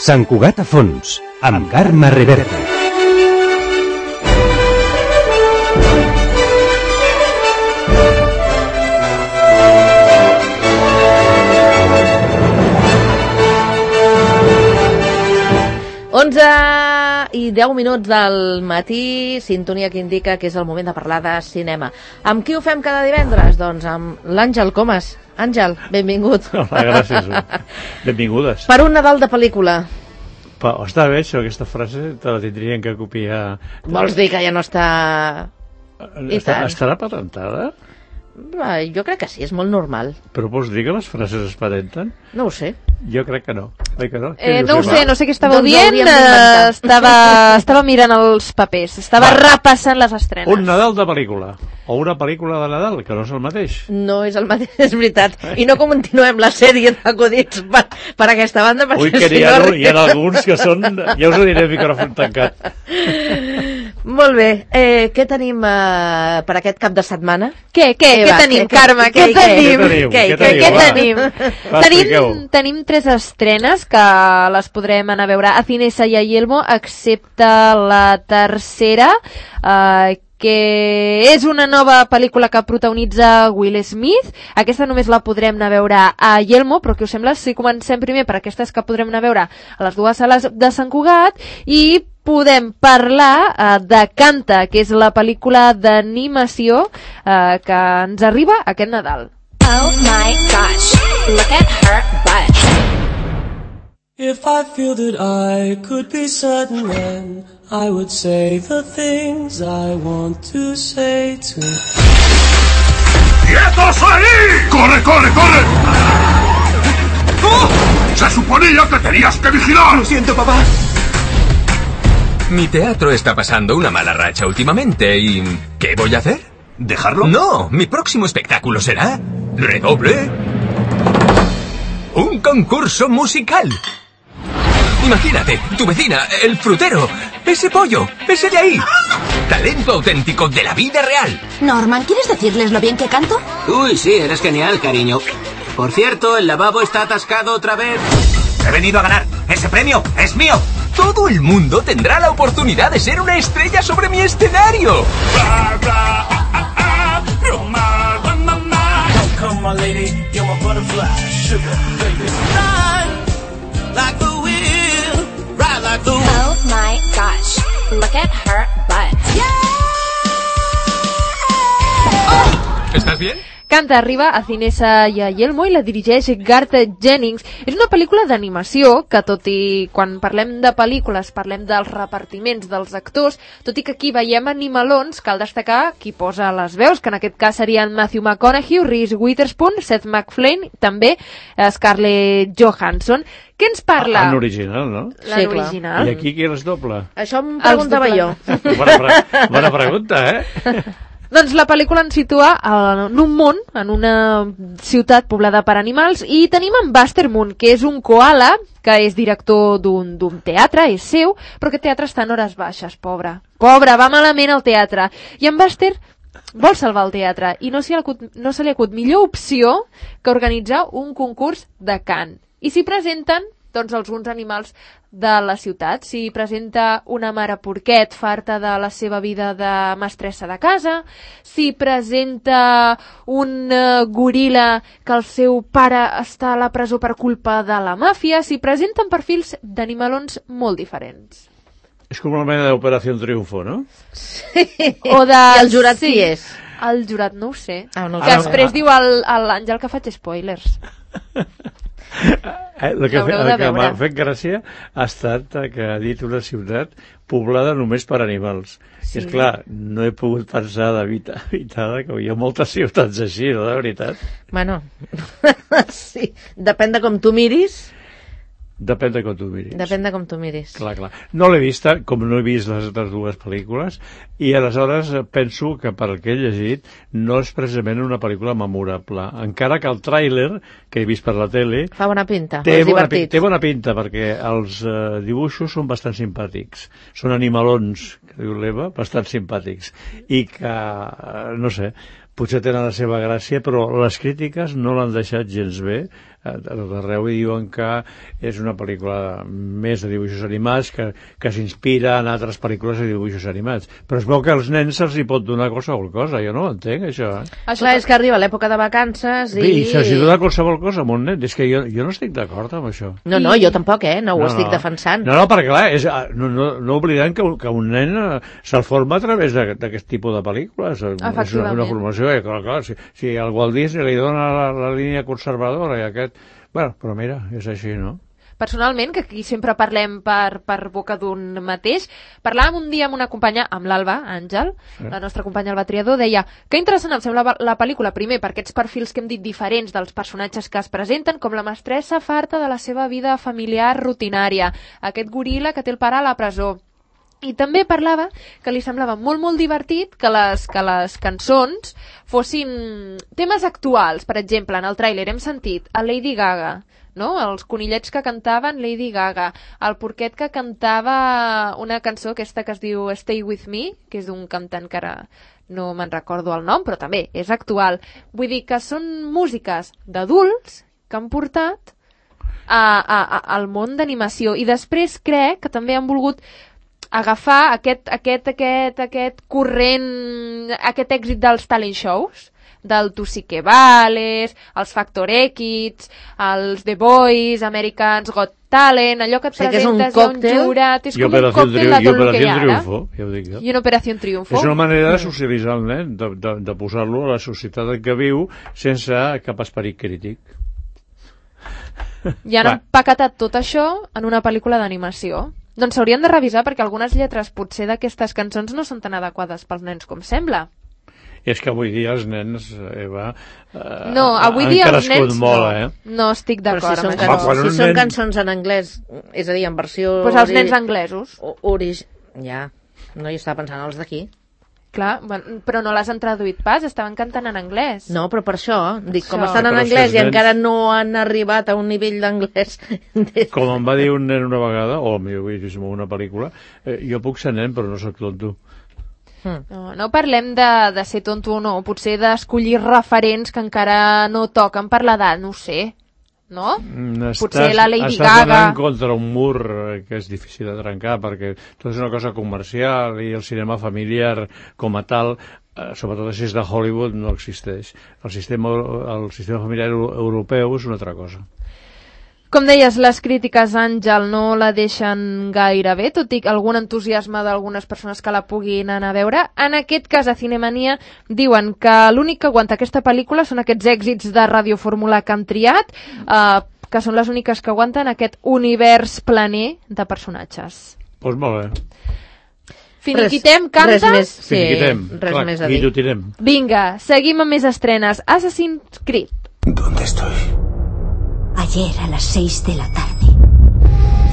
Sant Cugat a fons, amb Carme Reverte. I 10 minuts del matí, sintonia que indica que és el moment de parlar de cinema. Amb qui ho fem cada divendres? Doncs amb l'Àngel Comas. Àngel, benvingut. Hola, gràcies. Benvingudes. Per un Nadal de pel·lícula. Està bé, això, aquesta frase te la tindrien que copiar. Vols dir que ja no està... Estarà patentada? Jo crec que sí, és molt normal. Però vols dir que les frases es patenten? No ho sé. Jo crec que no. Que no? No sé què estàveu dient. Estava mirant els papers, estava repassant les estrenes. Un Nadal de pel·lícula, o una pel·lícula de Nadal, que no és el mateix. No és el mateix, és veritat. I no continuem la sèrie d'acudits per aquesta banda. Ui, que hi ha alguns que són... Ja us ho diré, micròfon tancat. Molt bé. Què tenim per aquest cap de setmana? Què tenim, Carme? Què tenim? Tenim 3 estrenes que les podrem anar a veure a Cinesa i a Yelmo, excepte la tercera, que és una nova pel·lícula que protagonitza Will Smith. Aquesta només la podrem anar a veure a Yelmo, però què us sembla si comencem primer per aquestes que podrem anar a veure a les 2 sales de Sant Cugat i podem parlar de Canta, que és la pel·lícula d'animació que ens arriba aquest Nadal. Oh my gosh, look at her butt. If I feel that I could be certain, then I would say the things I want to say to... ¡Quietos ahí! ¡Corre, corre, corre! ¡Oh! ¡Se suponía que tenías que vigilar! Lo siento, papá. Mi teatro está pasando una mala racha últimamente y... ¿qué voy a hacer? ¿Dejarlo? No, mi próximo espectáculo será... ¿redoble? ¡Un concurso musical! Imagínate, tu vecina, el frutero, ese pollo, ese de ahí. Talento auténtico de la vida real. Norman, ¿quieres decirles lo bien que canto? Uy, sí, eres genial, cariño. Por cierto, el lavabo está atascado otra vez. He venido a ganar. Ese premio es mío. Todo el mundo tendrá la oportunidad de ser una estrella sobre mi escenario. Come on, lady, you're my butterfly, sugar, baby. Ride like the wind, ride like the wind. Oh my gosh, look at her butt. ¿Estás bien? Canta arriba a Cinesa i a Yelmo i la dirigeix Garth Jennings. És una pel·lícula d'animació que, tot i quan parlem de pel·lícules parlem dels repartiments dels actors, tot i que aquí veiem animalons, cal destacar qui posa les veus, que en aquest cas serien Matthew McConaughey, Reese Witherspoon, Seth MacFarlane, també Scarlett Johansson. Què ens parla? En original, no? Sí, original. I aquí qui els dobla? Això em preguntava jo. Bona pregunta, eh? Doncs la pel·lícula ens situa en un món, en una ciutat poblada per animals, i tenim en Buster Moon, que és un koala, que és director d'un teatre, és seu, però aquest teatre està en hores baixes, pobre. Pobre, va malament al teatre. I en Buster vol salvar el teatre, i no se li acut millor opció que organitzar un concurs de cant. I s'hi presenten doncs alguns animals de la ciutat. S'hi presenta una mare porquet farta de la seva vida de mestressa de casa, s'hi presenta un goril·la que el seu pare està a la presó per culpa de la màfia, s'hi presenten perfils d'animalons molt diferents. És com una mena d'Operació Triunfo, no? Sí. O de... I el jurat qui és? El jurat no ho sé. No que després diu l'Àngel que faig spoilers. El que m'ha fet gràcia ha estat que ha dit una ciutat poblada només per animals. Sí. És clar, no he pogut pensar d'evitar que hi ha moltes ciutats així, no, de veritat? Bueno, sí, depèn de com tu miris. Depèn de com tu miris. Depèn de com tu miris. Clar. No l'he vista, com no he vist les altres 2 pel·lícules, i aleshores penso que per el que he llegit no és precisament una pel·lícula memorable. Encara que el tràiler, que he vist per la tele... Fa bona pinta, és divertit. Té bona pinta, perquè els dibuixos són bastant simpàtics. Són animalons, que diu l'Eva, bastant simpàtics. I que, no sé, potser tenen la seva gràcia, però les crítiques no l'han deixat gens bé d'arreu i diuen que és una pel·lícula més de dibuixos animats que s'inspira en altres pel·lícules de dibuixos animats. Però es veu que als nens se'ls hi pot donar qualsevol cosa, jo no ho entenc, això. Clar, és que arriba l'època de vacances i... I se'ls hi dona qualsevol cosa a un nen, és que jo no estic d'acord amb això. No, jo tampoc, no ho estic defensant. No, perquè clar, no oblidem que un nen se'l forma a través d'aquest tipus de pel·lícules. És una formació, clar, si al Walt Disney li dona la línia conservadora i aquest... Bueno, però mira, és així, no? Personalment, que aquí sempre parlem per boca d'un mateix, parlàvem un dia amb una companya, amb l'Alba Àngel, la nostra companya Alba Triador, deia que interessant em sembla la pel·lícula, primer, per aquests perfils que hem dit diferents dels personatges que es presenten, com la mestressa farta de la seva vida familiar rutinària, aquest goril·la que té el pare a la presó. I també parlava que li semblava molt, molt divertit que les cançons fossin temes actuals. Per exemple, en el tràiler hem sentit a Lady Gaga, no? Els conillets que cantaven Lady Gaga, el porquet que cantava una cançó aquesta que es diu Stay With Me, que és d'un cantant que ara no me'n recordo el nom, però també és actual. Vull dir que són músiques d'adults que han portat al món d'animació. I després crec que també han volgut agafar aquest corrent, aquest èxit dels talent shows, del Tu sí que vales, els Factor X, els The Voice, Americans Got Talent, allò que et presentes a un jurat, és com un còctel de tot el que hi ha ara. I una Operació Triunfo. És una manera de socialitzar el nen, de posar-lo a la societat en què viu sense cap esperit crític. I han empaquetat tot això en una pel·lícula d'animació. Doncs s'haurien de revisar perquè algunes lletres potser d'aquestes cançons no són tan adequades pels nens com sembla. És que avui dia els nens, Eva, no, avui dia els nens molt, no estic d'acord amb això. Si són cançons en anglès, és a dir, en versió... Doncs els nens anglesos. Ja, no hi estava pensant els d'aquí. Clar, però no les han traduït pas, estaven cantant en anglès. No, però per això, dic, com estan en anglès i encara no han arribat a un nivell d'anglès... Com em va dir un nen una vegada, o millor vist en una pel·lícula, jo puc ser nen però no soc tonto. No parlem de ser tonto o no, potser d'escollir referents que encara no toquen per l'edat, no ho sé. No? Potser la Lady Gaga... Estàs anant contra un mur que és difícil de trencar, perquè tot és una cosa comercial i el cinema familiar com a tal, sobretot si és de Hollywood, no existeix. El sistema familiar europeu és una altra cosa. Com deies, les crítiques, Àngel, no la deixen gaire bé, tot i algun entusiasme d'algunes persones que la puguin anar a veure. En aquest cas, a Cinemania diuen que l'únic que aguanta aquesta pel·lícula són aquests èxits de radiofórmula que han triat, que són les úniques que aguanten aquest univers planer de personatges. Doncs molt bé. Finiquitem, canta? Finiquitem, res més a dir. Vinga, seguim amb més estrenes. Assassin's Creed. ¿Dónde estoy? Ayer a las 6 de la tarde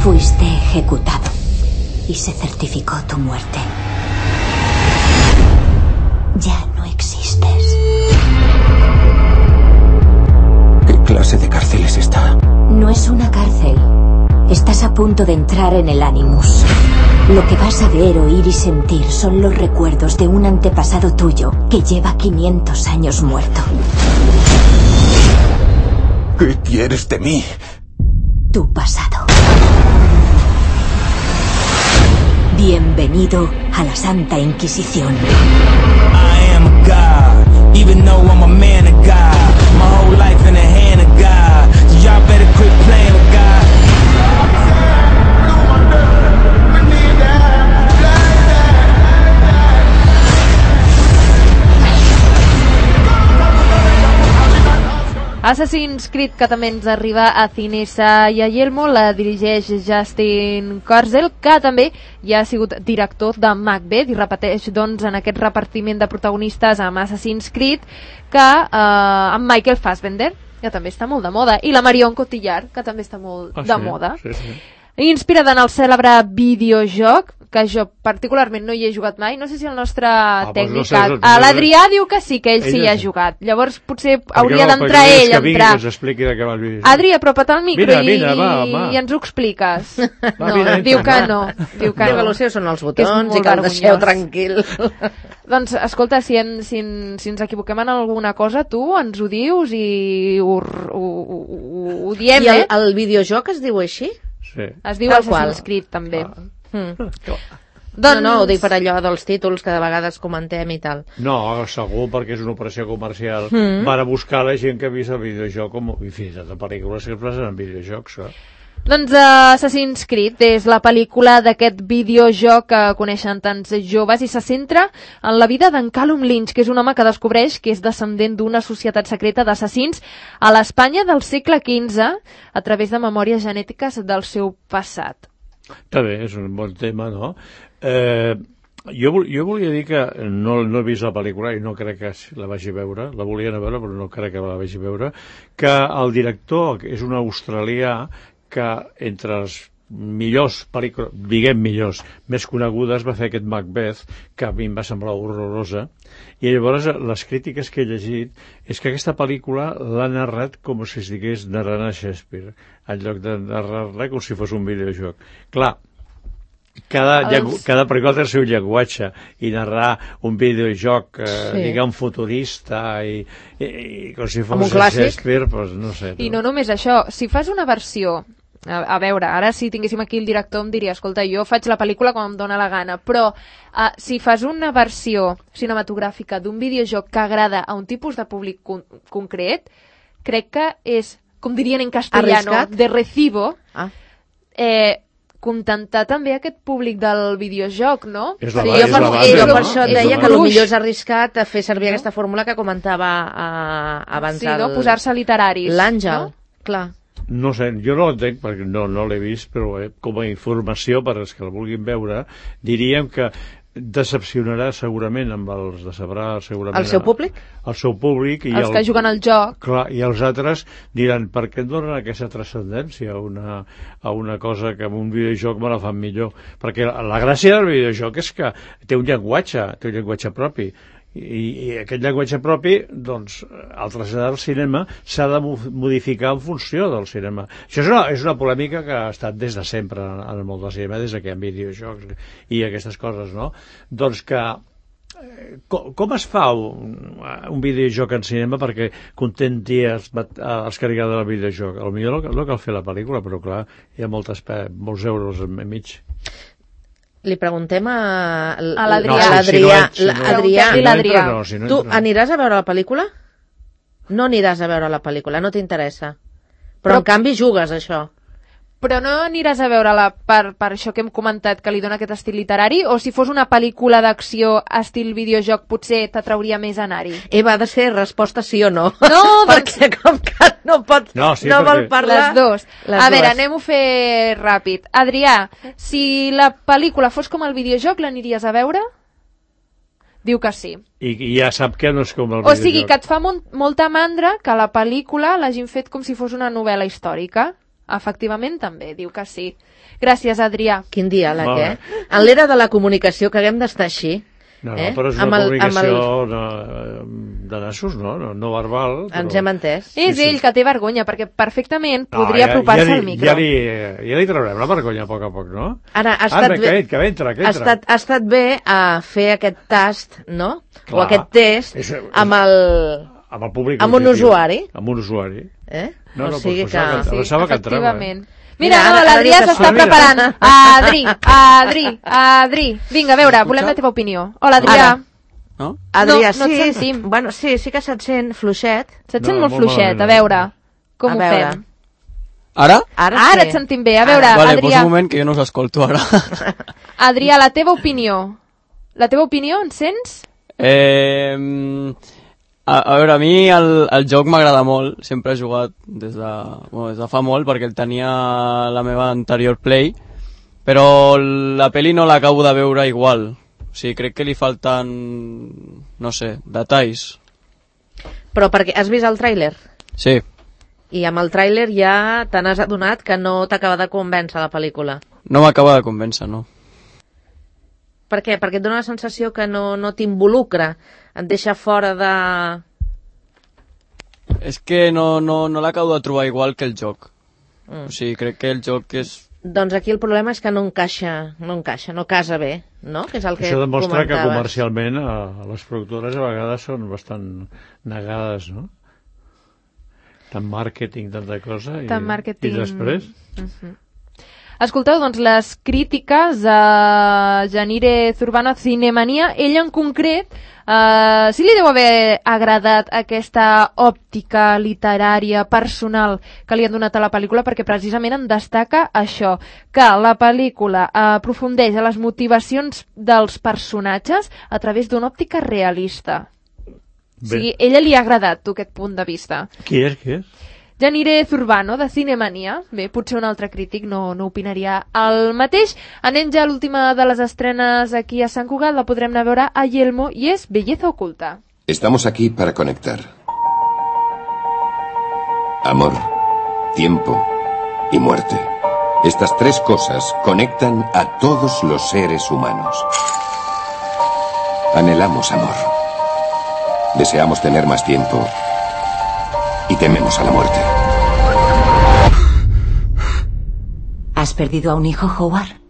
fuiste ejecutado y se certificó tu muerte. Ya no existes. ¿Qué clase de cárcel es esta? No es una cárcel. Estás a punto de entrar en el Animus. Lo que vas a ver, oír y sentir son los recuerdos de un antepasado tuyo que lleva 500 años muerto. ¿Qué quieres de mí? Tu pasado. Bienvenido a la Santa Inquisición. I am God, even though I'm a man of God. My whole life in the hand of God. So y'all better quit playing with God. Assassin's Creed, que també ens arriba a Cinesa i a Yelmo, la dirigeix Justin Kurzel, que també ja ha sigut director de Macbeth i repeteix doncs en aquest repartiment de protagonistes amb Assassin's Creed que amb Michael Fassbender, que també està molt de moda, i la Marion Cotillard, que també està molt de moda. Sí. Inspirada en el cèlebre videojoc, que jo particularment no hi he jugat mai. No sé si el nostre tècnic... no sé, l'Adrià diu que sí, que ell sí hi ha jugat. Llavors potser hauria d'entrar ell a entrar. Que ens expliqui de què va el videojoc. Adri, apropa't al micro va. I ens ho expliques. Diu que no. Diu que el seu són els botons i que el deixeu tranquil. Doncs, escolta, si ens equivoquem en alguna cosa, tu ens ho dius i ho diem, I el videojoc es diu així? Sí. Es diu Assassin's Creed, també. Doncs... No, ho dic per allò dels títols que de vegades comentem i tal. No, segur, perquè és una operació comercial per a buscar la gent que ha vist el videojoc i fins a pel·lícules que es basen en videojocs. Doncs Assassin's Creed és la pel·lícula d'aquest videojoc que coneixen tants joves i se centra en la vida d'en Callum Lynch, que és un home que descobreix que és descendent d'una societat secreta d'assassins a l'Espanya del segle XV a través de memòries genètiques del seu passat. Està bé, és un bon tema, no? Jo volia dir que no he vist la pel·lícula i no crec que la vagi a veure, la volia anar a veure però no crec que la vagi a veure, que el director és un australià que entre els millors pel·lícules, diguem millors, més conegudes va fer aquest Macbeth, que a mi em va semblar horrorosa, i llavors les crítiques que he llegit és que aquesta pel·lícula l'ha narrat com si es digués narrant a Shakespeare, en lloc de narrar-la com si fos un videojoc. Clar, cada pel·lícula té el seu llenguatge i narrar un videojoc diguem futurista i com si fos Shakespeare, doncs no sé. I no només això, si fas una versió, a veure, ara si tinguéssim aquí el director em diria, escolta, jo faig la pel·lícula com em dóna la gana, però si fas una versió cinematogràfica d'un videojoc que agrada a un tipus de públic concret, crec que és, com dirien en castellano, de recibo, contentar també aquest públic del videojoc, no? Jo per això et deia que potser és arriscat fer servir aquesta fórmula que comentava abans. Sí, no? Posar-se literaris. L'Àngel, clar. No sé, jo no l'entenc perquè no l'he vist, però com a informació per als que la vulguin veure, diríem que decepcionarà segurament amb els decebrà segurament el seu públic? El seu públic i els que juguen al joc. Clar, i els altres diran per què em donen aquesta transcendència a una cosa que en un videojoc me la fan millor, perquè la gràcia del videojoc és que té un llenguatge propi i aquest llenguatge propi, doncs, al traslladar al cinema s'ha de modificar en funció del cinema. Això és una polèmica que ha estat des de sempre en el món del cinema, des que hi ha videojocs i aquestes coses, no? Doncs que com es fa un videojoc en cinema perquè contenti els que li agrada el videojoc? Potser no cal fer la pel·lícula, però clar, hi ha molts euros enmig. Li preguntem a l'Adrià. L'Adrià. Tu aniràs a veure la pel·lícula? No aniràs a veure la pel·lícula, no t'interessa. Però en canvi jugues, això. Però no aniràs a veure-la per això que hem comentat, que li dona aquest estil literari, o si fos una pel·lícula d'acció estil videojoc potser t'atrauria més anar-hi? Eva, ha de ser resposta sí o no. No, perquè com que no vol parlar... Les dues. A veure, anem-ho a fer ràpid. Adrià, si la pel·lícula fos com el videojoc, l'aniries a veure? Diu que sí. I ja sap que no és com el videojoc. O sigui, que et fa molta mandra que la pel·lícula l'hagin fet com si fos una novel·la històrica. Efectivament, també, diu que sí. Gràcies, Adrià. Quin diàleg, En l'era de la comunicació, que haguem d'estar així. No, però és una comunicació de nassos, no verbal. Ens hem entès. És ell que té vergonya, perquè perfectament podria apropar-se al micro. Ja li traurem la vergonya a poc, no? Ara, ha estat bé fer aquest tast, no? O aquest test amb el públic, amb un usuari. Amb un usuari. O sigui que... Efectivament. Mira, l'Adrià s'està preparant. Adri. Vinga, a veure, volem la teva opinió. Hola, Adrià. No? Adrià, no et sentim. Bueno, sí que se't sent fluixet. Se't sent molt fluixet, a veure. Com ho fem? Ara? Ara et sentim bé, a veure, Adrià. Vale, posa un moment que jo no us escolto ara. Adrià, la teva opinió. La teva opinió, en sents? A veure, a mi el joc m'agrada molt, sempre he jugat des de fa molt perquè el tenia a la meva anterior Play, però la pel·li no l'acabo de veure igual, o sigui, crec que li falten, no sé, detalls. Però perquè has vist el tràiler? Sí. I amb el tràiler ja te n'has adonat que no t'acaba de convèncer la pel·lícula? No m'acaba de convèncer, no. Per què? Perquè et dona la sensació que no t'involucra, et deixa fora de... És que no l'acabo de trobar igual que el joc. O sigui, crec que el joc és... Doncs aquí el problema és que no casa bé, no? Que és el que això demostra comentaves. que comercialment les productores a vegades són bastant negades, no? Tant màrqueting, tanta cosa, i després... Escolteu, doncs, les crítiques a Janire Zurbano a Cinemania, ella en concret, sí li deu haver agradat aquesta òptica literària personal que li han donat a la pel·lícula, perquè precisament en destaca això, que la pel·lícula aprofundeix a les motivacions dels personatges a través d'una òptica realista. O sigui, ella li ha agradat, aquest punt de vista. Qui és? Janire Zurbano, de Cinemania. Bé, potser un altre crític no opinaria el mateix. Anem ja a l'última de les estrenes aquí a Sant Cugat, la podrem anar a veure a Yelmo, i és Belleza Oculta. Estamos aquí para conectar. Amor, tiempo y muerte. Estas tres cosas conectan a todos los seres humanos. Anhelamos amor. Deseamos tener más tiempo. Y tememos a la muerte. ¿Has perdido a un hijo, Howard?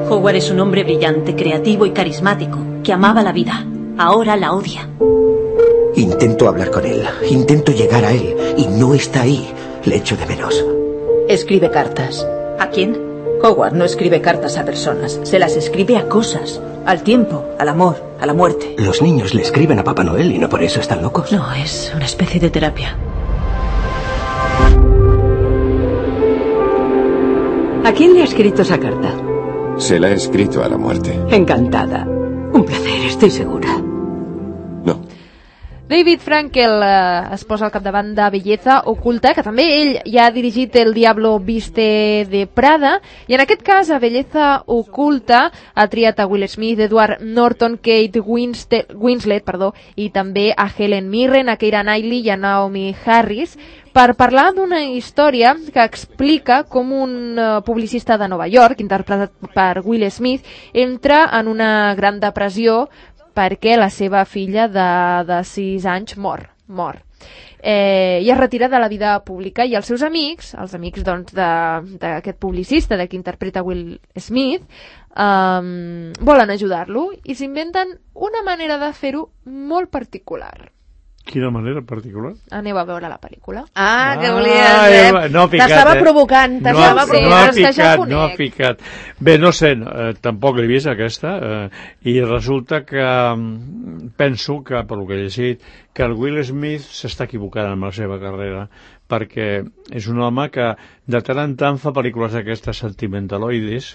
Howard es un hombre brillante, creativo y carismático, que amaba la vida. Ahora la odia. Intento hablar con él, intento llegar a él, y no está ahí. Le echo de menos. Escribe cartas. ¿A quién? Howard no escribe cartas a personas, se las escribe a cosas. Al tiempo, al amor, a la muerte. Los niños le escriben a Papá Noel y no por eso están locos. No, es una especie de terapia. ¿A quién le ha escrito esa carta? Se la he escrito a la muerte. Encantada. Un placer, estoy segura. David Frankel es posa al capdavant de Belleza Oculta, que també ell ja ha dirigit El Diablo Viste de Prada, i en aquest cas a Belleza Oculta ha triat a Will Smith, Edward Norton, Kate Winslet, i també a Helen Mirren, a Keira Knightley i a Naomi Harris, per parlar d'una història que explica com un publicista de Nova York, interpretat per Will Smith, entra en una gran depressió perquè la seva filla de 6 anys mor. I es retira de la vida pública, i els seus amics, els amics d'aquest publicista, de qui interpreta Will Smith, volen ajudar-lo i s'inventen una manera de fer-ho molt particular. Quina manera particular? Aneu a veure la pel·lícula. Que volies, no ha picat, t'estava provocant, no ha picat. Bé, no sé, tampoc l'he vist aquesta, i resulta que penso que, per lo que he llegit, que el Will Smith s'està equivocant amb la seva carrera, perquè és un home que de tant en tant fa pel·lícules d'aquestes sentimentaloides,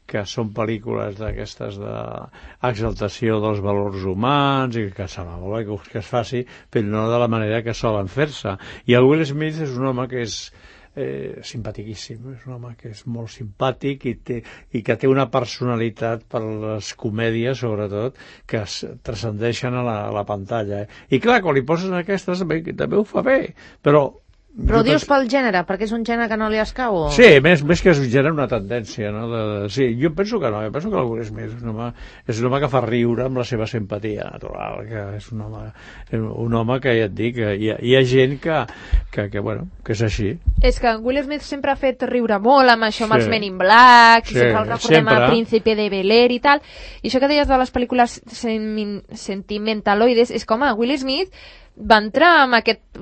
que són pel·lícules d'aquestes d'exaltació dels valors humans, i que sembla molt bé que es faci, però no de la manera que solen fer-se. I el Will Smith és un home que és simpaticíssim, és un home que és molt simpàtic i que té una personalitat per les comèdies, sobretot, que es transcendeixen a la pantalla. I clar, quan li poses aquestes també ho fa bé, però ho dius pel gènere, perquè és un gènere que no li escau? O... Sí, més que es genera una tendència, no? Sí, jo penso que no, penso que el Will Smith és un home que fa riure amb la seva simpatia natural, que és un home que ja et dic, hi ha gent que és així. És que Will Smith sempre ha fet riure molt amb això, amb els Men in Black, i sempre el recordem a Príncipe de Bel-Air i tal, i això que deies de les pel·lícules sentimentaloides, és com Will Smith va entrar amb aquest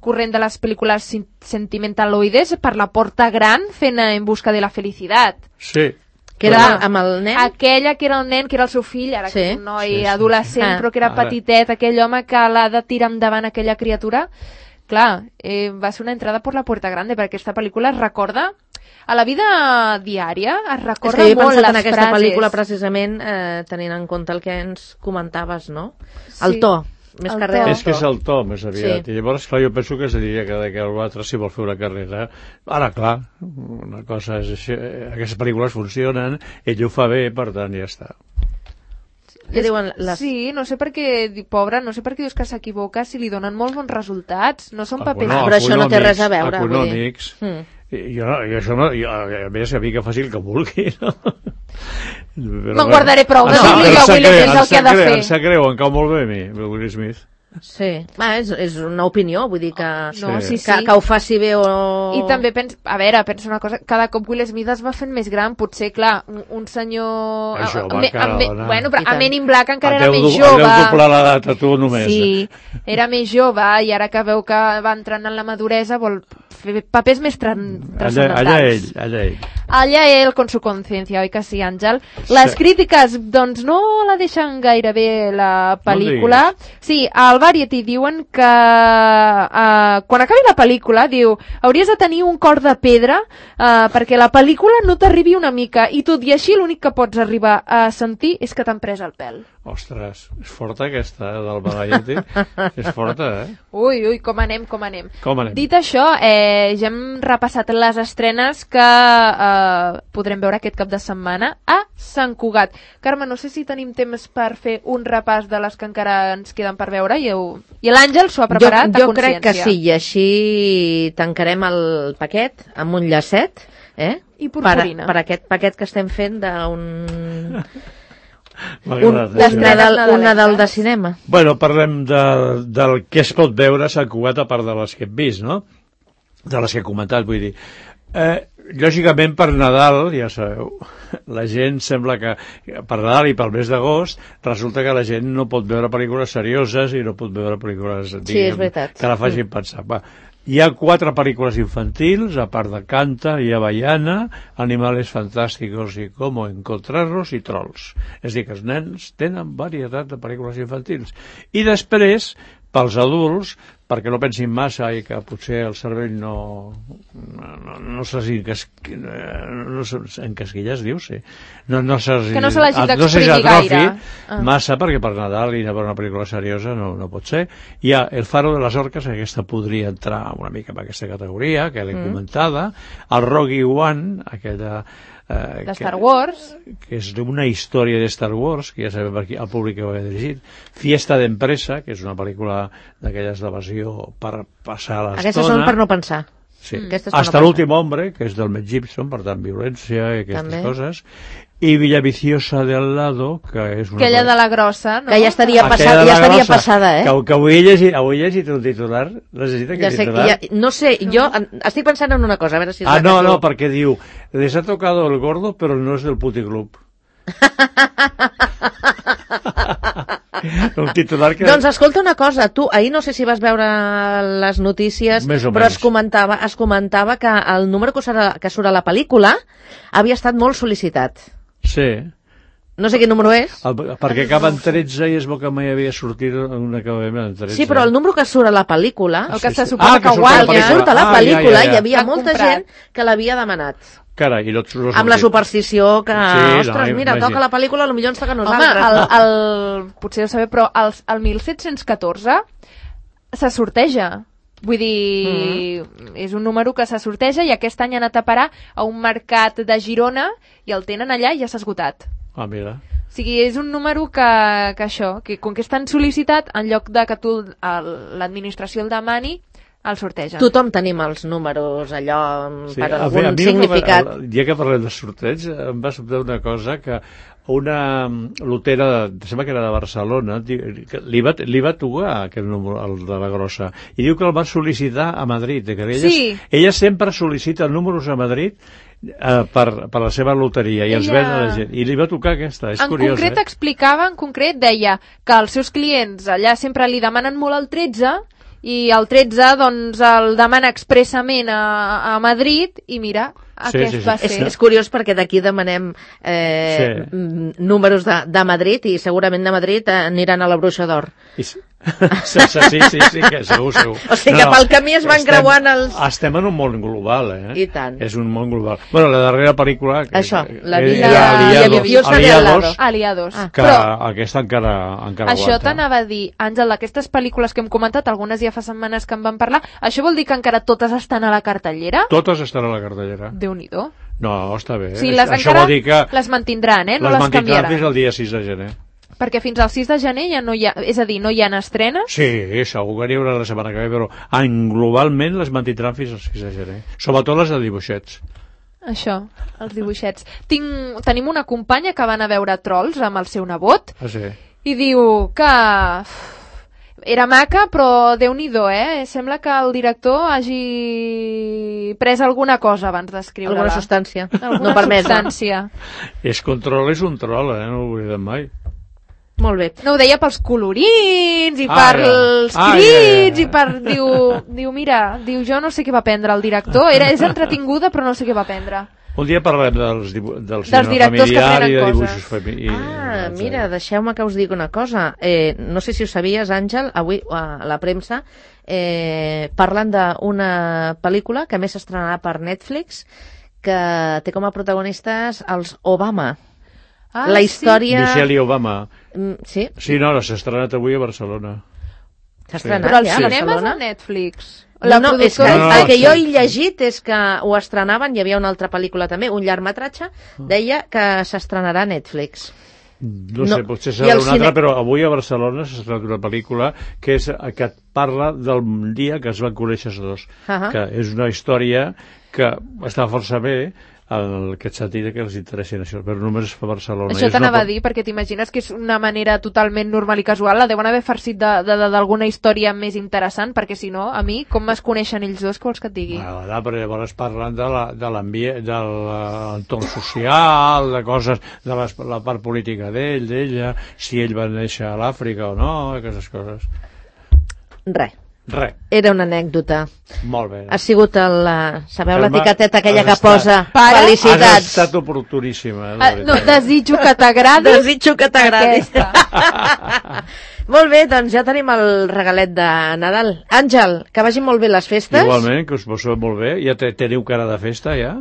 corrent de les pel·lícules sentimentaloides per la porta gran, fent En busca de la felicitat. Sí. Que era amb el nen? Aquella que era el nen, que era el seu fill, ara que és un noi adolescent, però que era petitet, aquell home que l'ha de tirar endavant aquella criatura. Clar, va ser una entrada per la puerta grande, perquè aquesta pel·lícula es recorda a la vida diària, es recorda molt les frases. És que jo he pensat en aquesta pel·lícula precisament tenint en compte el que ens comentaves, no? El to. Més carrera. És que és el to, més aviat. I llavors, clar, jo penso que es diria que l'altre, si vol fer una carrera... Ara, clar, una cosa és així, aquestes pel·lícules funcionen, ell ho fa bé, per tant, ja està. Sí, no sé per què, pobra, no sé per què dius que s'equivoca si li donen molt bons resultats. No són papers. Però això no té res a veure. Econòmics. Jo això no, a més, a mi que faci el que vulgui, no? Me'n guardaré prou de dir-li a Will Smith el que ha de fer. Em sap greu, em cau molt bé a mi, Will Smith. Sí, és una opinió, vull dir que, que ho faci bé o... I també pensa una cosa, cada cop Will Smith es va fent més gran, potser, clar, un senyor... Bueno, però a Men in Black encara era més jove. Deu doblar l'edat a tu només. Sí, era més jove i ara que veu que va entrant en la maduresa vol fer papers més transcendentals. Allà ell, con su conciencia, oi que sí, Àngel? Les crítiques, doncs, no la deixen gaire bé la pel·lícula. Sí, al Variety diuen que quan acabi la pel·lícula, diu, hauries de tenir un cor de pedra perquè la pel·lícula no t'arribi una mica i tot i així l'únic que pots arribar a sentir és que t'han pres el pèl. Ostres, és forta aquesta del Variety. És forta, Ui, com anem. Dit això, ja hem repassat les estrenes que podrem veure aquest cap de setmana a Sant Cugat. Carme, no sé si tenim temps per fer un repàs de les que encara ens queden per veure i l'Àngel s'ho ha preparat a consciència. Jo crec que sí, i així tancarem el paquet amb un llacet i purpurina. Per aquest paquet que estem fent d'un... un Nadal de cinema. Bueno, parlem del que es pot veure a Sant Cugat a part de les que hem vist, no? De les que he comentat, vull dir. Lògicament per Nadal, ja sabeu, la gent sembla que per Nadal i pel mes d'agost resulta que la gent no pot veure pel·lícules serioses i no pot veure pel·lícules que la facin pensar. Hi ha 4 pel·lícules infantils, a part de Canta i Avellana, Animales Fantásticos i Cómo Encontrarlos i Trolls. És a dir, que els nens tenen varietat de pel·lícules infantils. I després, pels adults, perquè no pensin massa i que potser el cervell no encasquilla, es diu, sí. Que no se l'hagi d'exprimir gaire. Massa, perquè per Nadal i per una pel·lícula seriosa no pot ser. Hi ha El faro de les orques, que aquesta podria entrar una mica en aquesta categoria, que l'he comentada. El Rogue One, aquella... de Star Wars, que és una història de Star Wars, que ja sabem aquí el públic que ho ha dirigit. Fiesta d'empresa, que és una pel·lícula d'aquelles d'evasió per passar l'estona. Aquestes són per no pensar. Sí. Hasta l'últim hombre, que és del Mel Gibson, per tant, violència i aquestes coses. I Villaviciosa de al lado, que és una... Aquella de la grossa, no? Que ja estaria passada, Que avui he llegit un titular, necessita que titular... No sé, jo estic pensant en una cosa, a veure si... No, perquè diu, les ha tocado el gordo, però no és del puticlub. Un titular que... Doncs escolta una cosa, tu ahir no sé si vas veure les notícies, però es comentava que el número que surt a la pel·lícula havia estat molt sol·licitat. Sí. No sé quin número és. Perquè acaba en 13 i es veu que mai havia sortit un acabament en 13. Sí, però el número que surt a la pel·lícula... El que se suposa que guanya. El que surt a la pel·lícula hi havia molta gent que l'havia demanat. Carai, amb la superstició que... Ostres, mira, toca la pel·lícula, potser ens toca a nosaltres. Home, potser ho sabeu, però el 1714 se sorteja. Vull dir, és un número que se sorteja i aquest any ha anat a parar a un mercat de Girona i el tenen allà i ja s'ha esgotat. Ah, mira. O sigui, és un número que això, que com que és tan sol·licitat, en lloc de que tu l'administració el demani, el sortegen. Tothom tenim els números allò per algun significat. Ja que parlem de sorteig, em va sobtar una cosa que una lotera, sembla que era de Barcelona, li va tocar aquest número, el de la grossa, i diu que el va sol·licitar a Madrid, que ella sempre sol·licita números a Madrid per la seva loteria i els ven a la gent, i li va tocar aquesta, és curiós. En concret explicava, deia que els seus clients allà sempre li demanen molt el 13 i el 13 doncs el demana expressament a Madrid i mira, aquest va ser. És curiós perquè d'aquí demanem números de Madrid i segurament de Madrid aniran a la Bruixa d'Or. Sí, que segur. O sigui que pel camí es van creuant els... Estem en un món global, I tant. És un món global. Bueno, la darrera pel·lícula... Això, la Villaviciosa de Aliados. Que aquesta encara aguanta. Això t'anava a dir, Àngel, d'aquestes pel·lícules que hem comentat, algunes ja fa setmanes que en vam parlar, això vol dir que encara totes estan a la cartellera? Totes estan a la cartellera. Déu-n'hi-do. No, està bé. Sí, les encara les mantindran, no les canviaran. Les mantindran fins al dia 6 de gener. Perquè fins al 6 de gener ja no hi ha... És a dir, no hi ha estrenes? Sí, segur que n'hi haurà la setmana que ve, però globalment les mantindran fins al 6 de gener. Sobretot les de dibuixets. Això, els dibuixets. Tenim una companya que va anar a veure Trolls amb el seu nebot i diu que... Era maca, però Déu-n'hi-do, Sembla que el director hagi pres alguna cosa abans d'escriure-la. Alguna substància. Alguna substància. És control, és un troll, no ho oblidem mai. Molt bé. No, ho deia pels colorins i pels crits i per... Diu, mira, jo no sé què va prendre el director. És entretinguda, però no sé què va prendre. Un dia parlem del cinema familiar i de dibuixos familiars. Mira, deixeu-me que us digui una cosa. No sé si ho sabies, Àngel, avui a la premsa parlen d'una pel·lícula que més s'estrenarà per Netflix, que té com a protagonistes els Obama. La història... Michelle Obama. Sí? Sí, no, s'ha estrenat avui a Barcelona. S'ha estrenat ja a Barcelona? Però el cinema és a Netflix. És que el que jo he llegit és que ho estrenaven, hi havia una altra pel·lícula també, un llargmetratge, deia que s'estrenarà a Netflix. No sé, potser serà una altra, però avui a Barcelona s'ha estrenat una pel·lícula que et parla del dia que es van conèixer els dos, que és una història que està força bé, en aquest sentit que els interessi això, però només es fa a Barcelona. Això t'anava a dir, perquè t'imagines que és una manera totalment normal i casual, la deuen haver farcit d'alguna història més interessant, perquè si no, a mi, com es coneixen ells dos, què vols que et digui? Però llavors parlen de l'ambient, de l'entorn social, de coses, de la part política d'ella, si ell va néixer a l'Àfrica o no, aquestes coses. Res. Era una anècdota. Molt bé. Ha sigut sabeu l'etiqueteta aquella que posa felicitats. Has estat oportuníssima. No, desitjo que t'agradi. Desitjo que t'agradi. Molt bé, doncs ja tenim el regalet de Nadal. Àngel, que vagin molt bé les festes. Igualment, que us passeu molt bé. Ja teniu cara de festa, ja?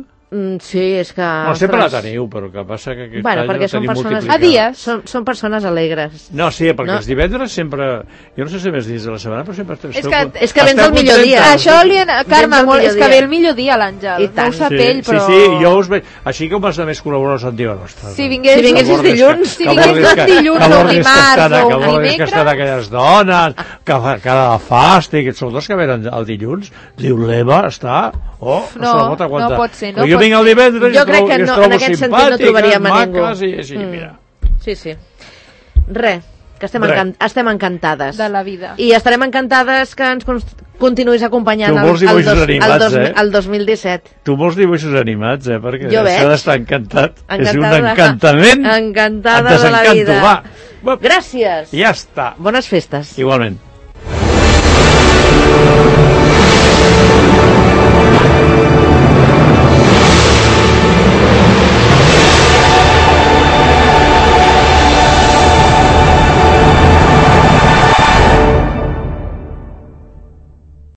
Sí, és que... No, sempre la teniu, però el que passa que aquest any la tenim multiplicada. A dies. Són persones alegres. No, sí, perquè els divendres sempre... Jo no sé si més dins de la setmana, però sempre... És que vens el millor dia. Això, Carme, és que ve el millor dia l'Àngel. No ho sap ell, però... Sí, jo us veig... Així com els altres col·laboradors em diuen... Si vinguessis dilluns, o dimarts o dimecres... Que estan aquelles dones, que cada fàstic, són dos que venen el dilluns, diu l'Eva està... No pot ser, no vinc el divendres jo crec que no, en aquest sentit no trobaríem a ningú. Mira. Sí. Res, que estem encantades. De la vida. I estarem encantades que ens continuïs acompanyant el 2017. Tu molts dibuixos animats, perquè això d'estar encantat és un encantament. Encantada de la vida. Gràcies. Ja està. Bones festes. Igualment.